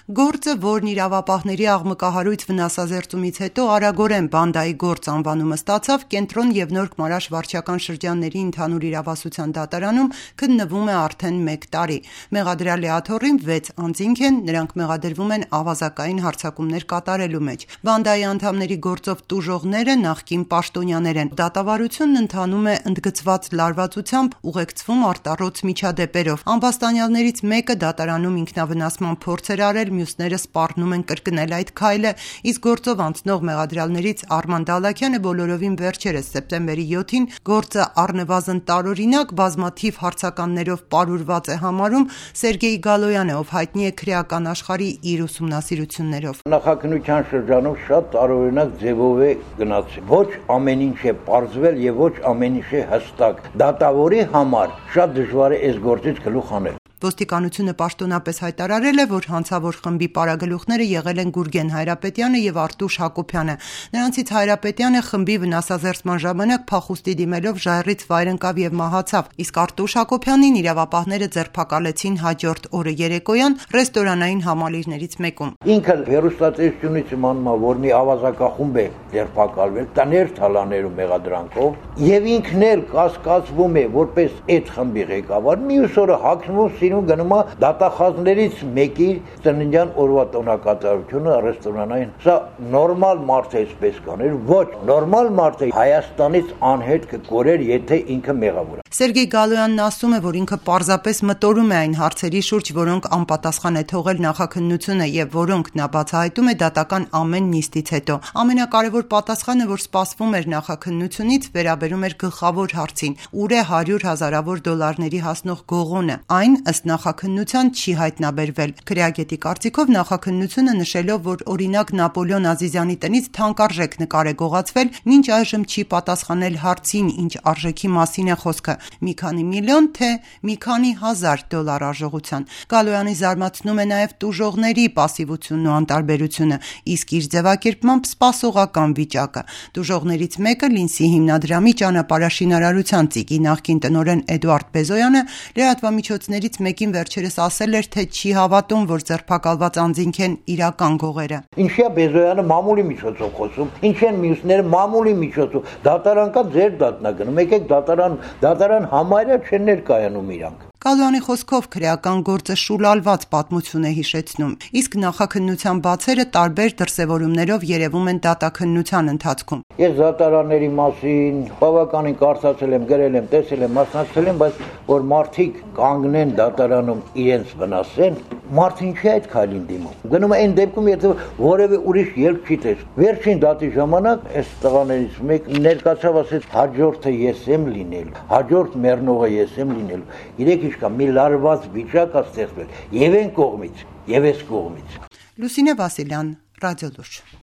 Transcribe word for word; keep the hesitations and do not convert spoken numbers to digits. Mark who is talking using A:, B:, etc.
A: Գործը, որն իրավապահների աղմկահարույց վնասազերծումից հետո արագորեն բանդայի գործ անվանումը ստացավ, Կենտրոն և Նորք Մարաշ վարչական շրջանների ընդհանուր իրավասության դատարանում քննվում է արդեն մեկ տարի։ Մեղադրյալի աթոռին վեց անձինք են, նրանք մեղադրվում են ավազակային հարձակումներ կատարելու մեջ։ Բանդայի անդամների գործով տուժողները նախկին պաշտոնյաներ են։ Դատավարությունն ընթանում է ընդգծված լարվածությամբ, ուղեկցվում արտառոց միջադեպերով։ Ամբաստանյալներից մեկը դատարանում ինքնավնասման փորձ էր արել, մյուսները սպառնում են կրկնել այդ քայլը, իսկ գործով անցնող մեղադրյալներից Արման Դալաքյանը բոլորովին վերջերս սեպտեմբերի յոթին գործը առնվազն տարօրինակ բազմաթիվ հարցականներով պարուրված է համարում Սերգեյ Գալոյանը, ով հայտնի է քրեական աշխարհի իր ուսումնասիրություններով։
B: Նախաքննության շրջանում շատ տարօրինակ ձևով է գնացել։ Ոչ ամեն ինչ է պարզվել եւ ոչ ամեն ինչ է հստակ։ Դատավորի համար շատ դժվար է այս գործից գլուխ հանել։
A: Ոստիկանությունը պաշտոնապես հայտարարել է, որ հանցավոր խմբի պարագլուխները եղել են Գուրգեն Հայրապետյանը և Արտուշ Հակոբյանը։ Նրանցից Հայրապետյանը խմբի վնասազերծման ժամանակ փախուստի դիմելով ժայռից վայր ընկավ և մահացավ, իսկ Արտուշ Հակոբյանին իրավապահները ձերբակալեցին հաջորդ օրը երեկոյան ռեստորանային համալիրներից մեկում։
B: Ինքը հեռուստատեսությունից իմանում է, որ մի ավազակախումբ է ձերբակալվել տներ թալաներում մեղադրանքով, եւ ինքն էլ կասկածվում է որպես այդ խմբի ղեկավար։ Մյուս օրը հագնվում գնում է դատախազներից մեկի ծննդյան օրվա տոնակատարությունը ռեստորանային։ Սա նորմալ մարդ է այսպես կաներ, ոչ նորմալ մարդ է Հայաստանից անհետ կկորեր, եթե ինքը մեղավոր է։
A: Սերգեյ Գալոյանն ասում է, որ ինքը պարզապես մտորում է այն հարցերի շուրջ, որոնք անպատասխան է թողել նախաքննությունը եւ որոնք նա բացահայտում է դատական ամեն նիստից հետո։ Ամենակարևոր պատասխանը, որ սպասվում էր նախաքննությունից, վերաբերում էր գլխավոր հարցին՝ ուր է հարյուր հազարավոր դոլարների հասնող գողոնը։ Այն ըստ նախաքննության չի հայտնաբերվել։ Քրեագետի կարծիքով նախաքննությունը նշելով, որ օրինակ Նապոլեոն Ազիզյանի տնից թանկարժեք նկար է գողացվել, մինչ այժմ չի պատասխանել հարցին, ինչ արժեքի մասին է խոսքը՝ մի քանի միլիոն թե մի քանի հազար դոլար արժողության։ Գալոյանի զարմացնում է նաև տուժողների պասիվությունն ու անտարբերությունը, իսկ իր ձևակերպմամբ սպասողական վիճակը։ Տուժողներից մեկը Լինսի հիմնադրամի ճանապարհաշինարարության ծիկի նախկին տնօրեն Էդուարդ Բեզոյանը լրատվամիջոցներից մեկին վերջերս ասել էր, թե չի հավատում, որ ձերբակալված անձինք են իրական գողերը։
B: Ինչի՞ է Բեզոյանը մամուլի միջոցով խոսում, ինչ են մյուսները մամուլի միջոցով։ Դատարան կա, ձեր դատնագնում, եկեք դատարան, դատարան համարյա չեն ներկայանում իրանք։
A: Գալոյանի խոսքով քրեական գործը շուլալված պատմություն է հիշեցնում, իսկ նախաքննության բացերը տարբեր դրսևորումներով երևում են դատաքննության ընթացքում։
B: Ես դատարանների մասին բավականին կարծացել եմ, գրել եմ, տեսել եմ, մասնակցել եմ, բայց որ մարդիկ կանգնեն դատարանում իրենց վնասեն, մարդը ինչի է այդ քայլին դիմում։ Գնում է այն դեպքում, եթե որևէ ուրիշ ելք չի տեսնում։ Վերջին դատի ժամանակ այս տղաներից մեկը ներկայացավ, ասեց հաջորդը ես եմ լինելու, հաջորդ մեռնողը ես եմ լինելու։ Իրեք ինչ կա, մի լարված վիճակ է ստեղծվել եւ այն կողմից, եւ այս կողմից։
A: Լուսինե Վասիլյան, Ռադիոլուրջ։